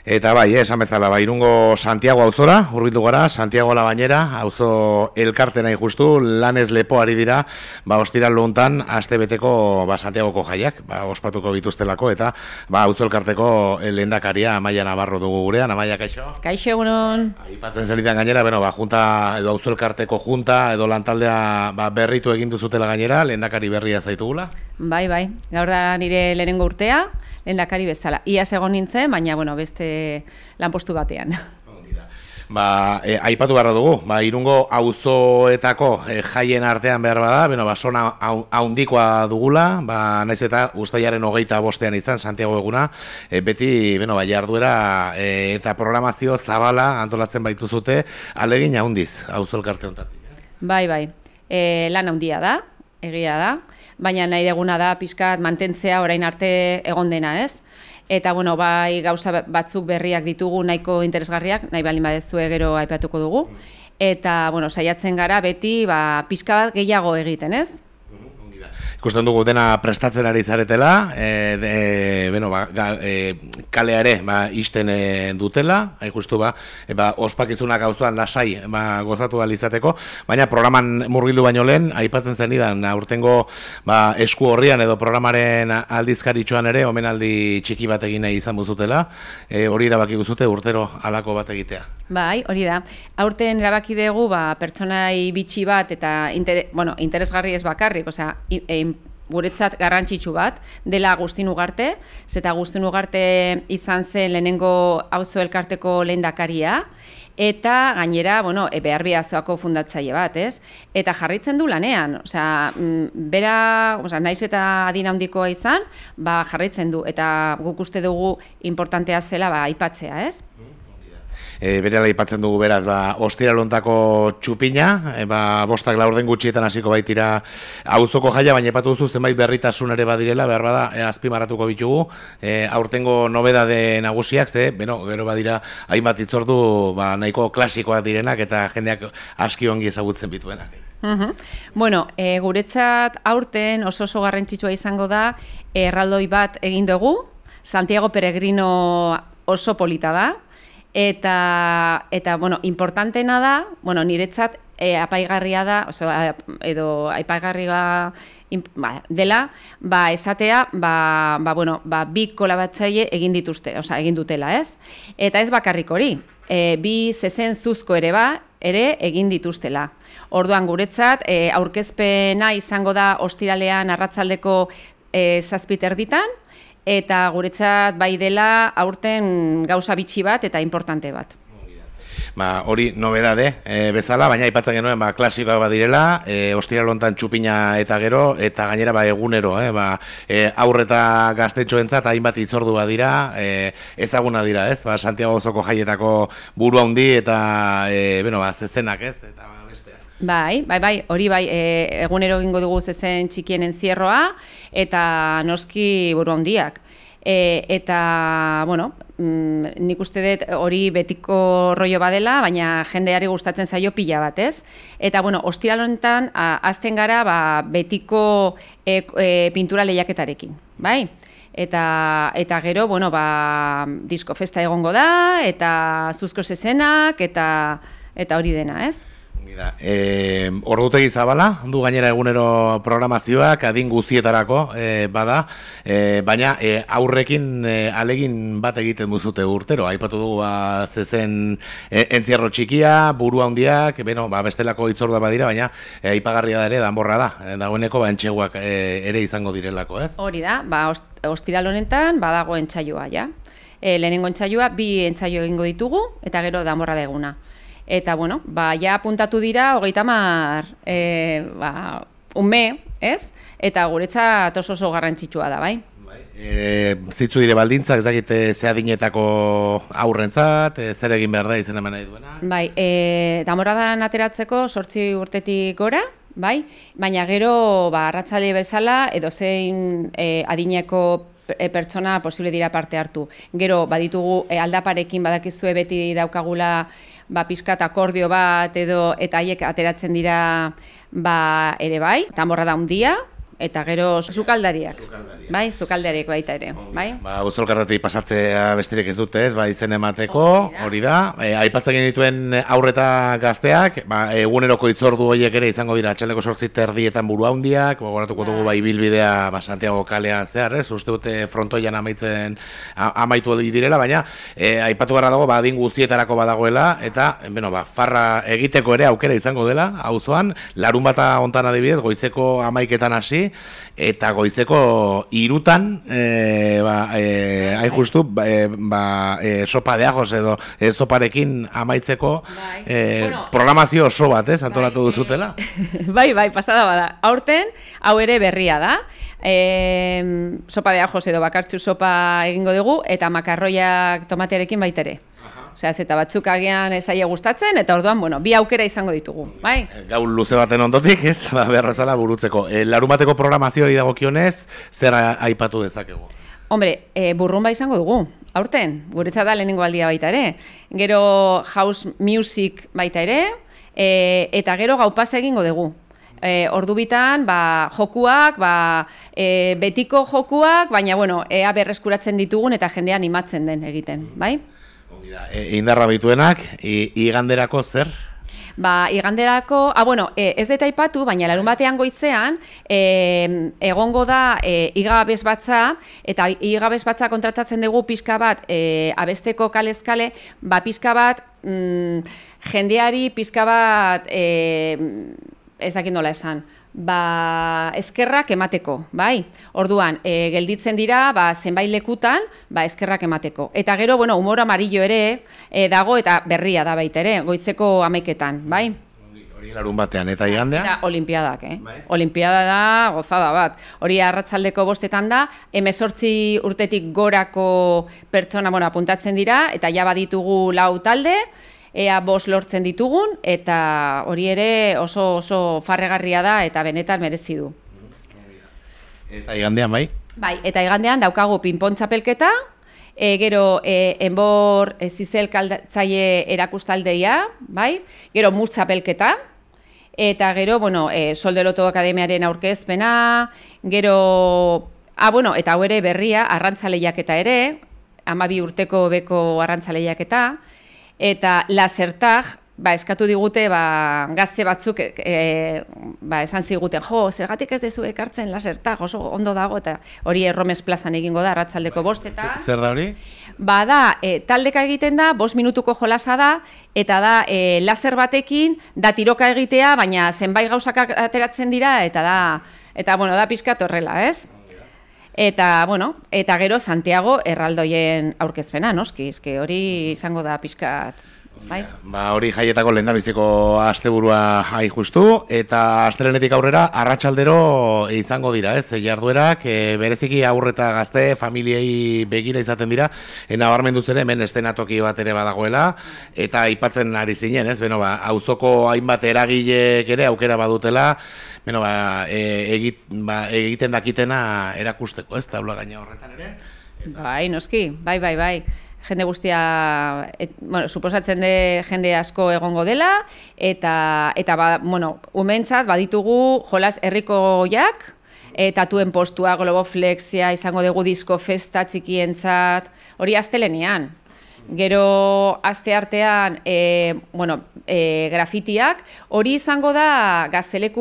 Eta bai, esan bezala, Irungo Santiago auzora, hurbildu gara, Santiago la Bañera, auzo elkarte nahi justu, lanez lepoari dira, ostiral hontan astebeteko Santiagoko jaiak, ospatuko bituztelako, eta auzo elkarteko lehendakaria Amaia Navarro dugu gurean. Amaia, kaixo? Kaixo, egunon. Aipatzen zenitan gainera, junta, edo auzo elkarteko junta, edo lantaldea berritu egin duzutela gainera, lehendakari berria zaitugula? Bai, gaur da nire lehenengo urtea, lehendakari bezala. Iaz egon nintzen, baina, beste lanpostu batean. Aipatu beharra dugu, Irungo auzoetako jaien artean behar bada, zona haundikoa dugula, naiz eta uztailaren 25ean izan, Santiago eguna, beti, jarduera eta programazio zabala antolatzen baituzute, alegin haundiz, auzo elkarte hontatik. Bai, lan haundia da, egia da, baina nahi deguna da pixkat mantentzea orain arte egon dena, ez? Eta, gauza batzuk berriak ditugu nahiko interesgarriak, nahi balin badezue gero aipatuko dugu. Eta, saiatzen gara beti pixka bat gehiago egiten, ez? Ikusten dugu dena prestatzen ari zaretela, kalea ere isten dutela, justu ospakizunak auzoan lasai gozatu izateko, baina programan murgildu baino lehen, aipatzen zenidan, aurtengo esku horrian edo programaren aldizkaritxoan ere, omenaldi txiki bat egin nahi izan buzutela, hori erabaki guzute urtero halako bat egitea. Bai, hori da. Aurten erabaki dugu pertsonai bitxi bat eta interesgarri ez bakarrik, guretzat garrantzitsu bat, dela Agustin Ugarte, zeta Agustin Ugarte izan zen lehenengo auzo elkarteko lehendakaria, eta gainera, behar bihazoako fundatzaile bat, ez? Eta jarraitzen du lanean, bera, naiz eta adin handikoa izan, jarraitzen du, eta guk uste dugu importantea zela aipatzea, ez? Berela aipatzen dugu beraz, ostiral hontako txupina, 5-4 gutxietan hasiko baitira auzoko jaia, baina aipatu duzu zenbait berritasun ere badirela, behar bada azpimarratuko bitugu, aurtengo nobedade nagusiak, gero badira hainbat hitzordu nahiko klasikoak direnak eta jendeak aski ongi ezagutzen bituenak. Guretzat aurten oso garrantzitsua izango da, erraldoi bat egin dugu, Santiago Peregrino oso polita da, eta importantena da, niretzat apaigarria da, edo apaigarria dela, esatea, bi kolabatzaile egin dutela, ez? Eta ez bakarrik hori, bi zezen zuzko ere egin dituztela. Orduan guretzat, aurkezpena izango da ostiralean arratsaldeko 7:00 eta guretzat bai dela aurten gauza bitxi bat eta importante bat. Hori nobedade bezala, baina aipatzen genuen klasikoak badirela, ostiral hontan txupina eta gero, eta gainera egunero, aurre eta gaztetxoentzat hainbat hitzordu badira, ezaguna dira, ez? Santiago auzoko jaietako buru handi eta zezenak, ez? Eta Bai, hori egunero egingo dugu zezen txikien enzierroa, eta noski buru handiak. Eta, nik uste dut hori betiko rollo badela, baina jendeari gustatzen zaio pila bat, ez? Eta, ostiral honetan, hasten gara betiko pintura lehiaketarekin, bai? Eta gero, disko festa egongo da, eta zuzko zezenak, eta hori dena, ez? Ordutegi zabala, du gainera egunero programazioak, adin guzietarako bada, baina aurrekin alegin bat egiten duzute urtero. Aipatu dugu zezen entzierro txikia, buru handiak, bestelako hitzordua badira, baina aipagarria da ere danborra da. Dagoeneko entseguak ere izango direlako, ez? Hori da, ostiral honetan badago entsaioa, ja. Lehenengo entsaioa, 2 entsaio egingo ditugu, eta gero danborra da eguna. Eta, ja apuntatu dira, 30 ume, ez? Eta guretzat oso garrantzitsua da, bai? Zitzu dire baldintzak, ezagite zehadinetako aurrentzat, zer egin behar da izen eman nahi duena? Bai, danborradan ateratzeko 8 urtetik gora, bai? Baina gero, arratzale bezala, edo zein adineko pertsona posible dira parte hartu. Gero, baditugu aldaparekin badakizue beti daukagula pixkat akordio bat edo eta haiek ateratzen dira ere bai, danborra da handia, eta gero sukaldariak. Bai, sukaldariak baita ere, bai? Ba, Auzolkartatik pasatzea besterik ez dute, ez? Ba, izen emateko, hori da. Aipatzen genituen aurreta gazteak, ba, eguneroko hitzordu horiek ere izango dira atxaldeko 8:30 burua handiak, gogoratuko dugu ba ibilbidea ba Santiago kalean zehar, ez? Uste dute frontoian amaitu direla, baina aipatu gara dago ba adin guztietarako badagoela eta beno ba farra egiteko ere aukera izango dela auzoan, larunbata hontan adibidez goizeko 11etan hasi eta goizeko 3 hain justu sopa de ajos edo soparekin amaitzeko programazio oso bat, antolatu duzutela. Bai, pasada bada. Aurten, hau ere berria da. Sopa de ajos edo bakartxu sopa egingo dugu eta makarroiak tomatearekin baita ere. Osea, eta batzuk agian esaia gustatzen eta orduan, bueno, bi aukera izango ditugu, bai? Gau luze baten ondotik, ez? Berrazala burutzeko. Larunbateko programazioari dagokionez, zer aipatu dezakegu? Hombre, burrumba izango dugu, aurten, guretzat da lehenengo aldia baita ere. Gero house music baita ere, eta gero gaupasa egingo dugu. Ordu bitan, jokuak, betiko jokuak, baina, bueno, ea berreskuratzen ditugun eta jendea animatzen den egiten, bai? Indarra bituenak, iganderako zer? Iganderako, ez dut aipatu, baina larun batean goizean, egongo da igabez batza, eta igabez batza kontratatzen dugu pixka bat, abesteko kalezkale, pixka bat, jendeari pixka bat, ez dakit nola esan, eskerrak emateko, bai? Orduan, gelditzen dira, zenbait lekutan, eskerrak emateko. Eta gero, humor amarillo ere dago eta berria da baita ere, goizeko 11etan, bai? Hori larun batean, eta igandea? Eta olimpiadak, Olimpiada da, gozada bat. Hori arratsaldeko 5etan da, 18 urtetik gorako pertsona, apuntatzen dira, eta ja baditugu 4 talde, ea 5 lortzen ditugun, eta hori ere oso farregarria da, eta benetan merezi du. Eta igandean, bai? Bai, eta igandean daukagu pinpon txapelketa, gero enbor zizelkaltzaile erakustaldeia, bai? Gero mur txapelketa, eta gero, Soldeloto Akademiaren aurkezpena, gero, eta hau ere berria, arrantzaleiaketa ere, 12 urteko beko arrantzaleiaketa, eta lasertag, eskatu digute, gazte batzuk, esan ziguten, zergatik ez dezu ekartzen lasertag, oso ondo dago, eta hori Erromes plazan egingo da, arratsaldeko 5etan. Zer da hori? Taldeka egiten da, 5 minutuko jolasa da, eta da, laser batekin, da tiroka egitea, baina zenbait gauzak ateratzen dira, eta da pixkat horrela, ez? Eta gero Santiago erraldoien aurkezpena, noski, hori izango da pixkat, bai? Hori jaietako lehendabiziko asteburua hain justu, eta astelenetik aurrera arratsaldero izango dira, ez? Jarduerak, bereziki aurre eta gazte, familiei begira izaten dira, nabarmendu ere hemen estenatoki bat ere badagoela, eta aipatzen ari zinen, ez? Auzoko hainbat eragilek ere aukera badutela, egiten dakitena erakusteko, ez? Taula gaina horretan ere? Bai, noski, bai. Jende guztia, suposatzen de jende asko egongo dela, eta umentzat baditugu jolas herrikoiak, tatuen postua, globoflexia, izango dugu disko festa txikientzat, hori astelenean. Gero aste artean, grafitiak, hori izango da gazteleku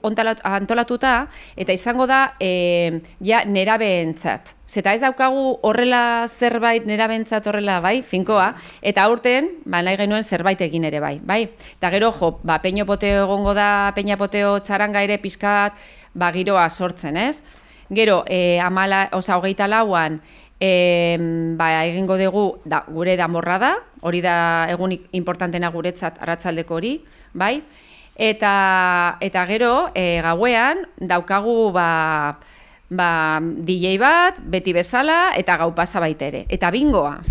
antolatuta, eta izango da nerabeentzat. Zeta ez daukagu horrela zerbait nerabeentzat horrela, bai, finkoa, eta aurten, nahi genuen zerbait egin ere bai. Eta gero, peño poteo egongo da, peña poteo txaranga ere pizkat, giroa sortzen, ez? Gero, 24an, egingo dugu gure danborrada, hori da egunik importantena guretzat arratsaldeko hori, bai? Eta gero, gauean, daukagu DJ bat, beti bezala, eta gau pasa baita ere. Eta bingoa,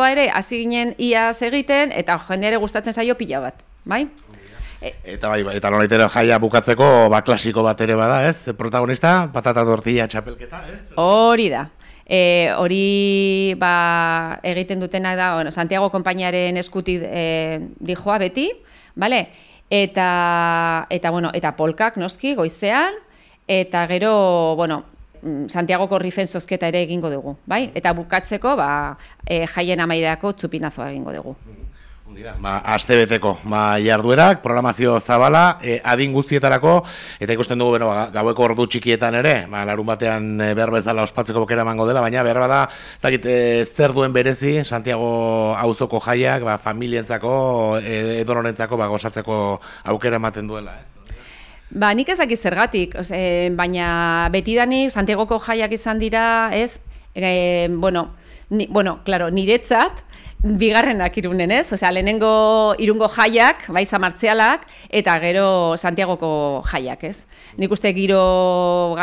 ere, hasi ginen iaz egiten, eta jendeare gustatzen zaio pila bat, bai? Eta nolaitera jaia bukatzeko, klasiko bat ere bada, ez? Protagonista, patata tortilla txapelketa, ez? Hori da. Hori egiten dutenak da, Santiago konpainiaren eskutik dijoa beti, bale? Eta polkak noski goizean, eta gero, bueno, Santiagoko rifen zozketa ere egingo dugu, bai? Eta bukatzeko, jaien amaierako txupinazoa egingo dugu. Astebeteko jarduerak, programazio zabala, adin guztietarako, eta ikusten dugu gaueko ordu txikietan ere, larun batean behar bezala ospatzeko bokera emango dela, baina behar bada, zer duen berezi, Santiago auzoko jaiak, familientzako, edonorentzako, gozatzeko aukera ematen duela, ez? Nik ezakit zergatik, baina betidanik Santiagoko jaiak izan dira, ez? Claro, niretzat, bigarrenak Irunen, ez? Lehenengo Irungo jaiak, zamartzialak, eta gero Santiagoko jaiak, ez? Nik uste giro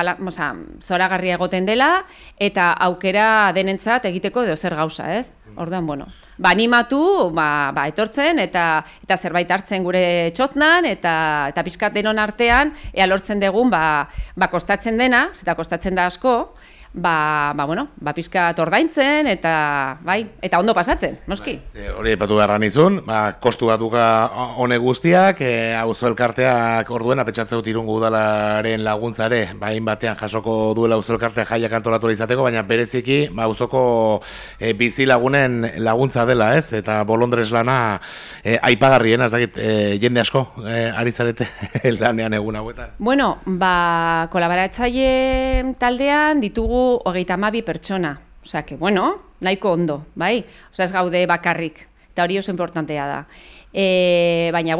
zoragarria egoten dela, eta aukera denentzat egiteko edo zer gauza, ez? Orduan, animatu, etortzen, eta zerbait hartzen gure txotnan, eta pixkat denon artean, ea lortzen dugun, kostatzen dena, eta kostatzen da asko, pizkat ordaintzen eta ondo pasatzen, noski. Hori aipatu beharra nizun, kostu bat duka honek guztiak, auzo elkarteak orduen apetxatze dut Irungo udalaren laguntzare, batean jasoko duela auzo elkarteak jaiak antolatu izateko, baina bereziki auzoko bizi lagunen laguntza dela, ez? Eta bolondrez lana aipagarrien, ez dakit, jende asko ari zarete lanean egun hauetan. Bueno, kolaboratzaile taldean ditugu 32 pertsona, nahiko ondo, bai? Ez gaude bakarrik, eta hori oso importantea da. Baina,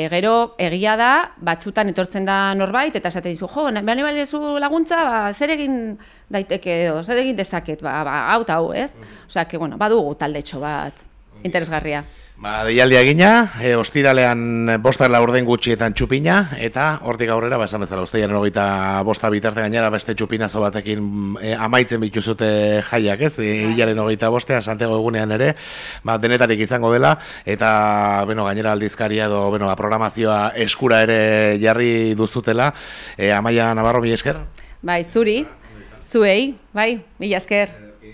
gero egia da, batzutan etortzen da norbait, eta esaten dizu, behar baldezu laguntza, zer egin daiteke edo, zer egin dezaket, hau eta hau, ez? Badugu taldetxo bat interesgarria. Deialdia gina, ostiralean 5:04 gutxietan txupina, eta hortik aurrera, esan bezala, uztailaren 25 bitarte gainera beste txupinazo batekin amaitzen bituzute jaiak, ez? Hilaren 25 Santiago egunean ere, denetarik izango dela, eta gainera aldizkaria edo programazioa eskura ere jarri duzutela. Amaia Navarro, mila esker? Bai, zuri, zuei, bai, mila esker.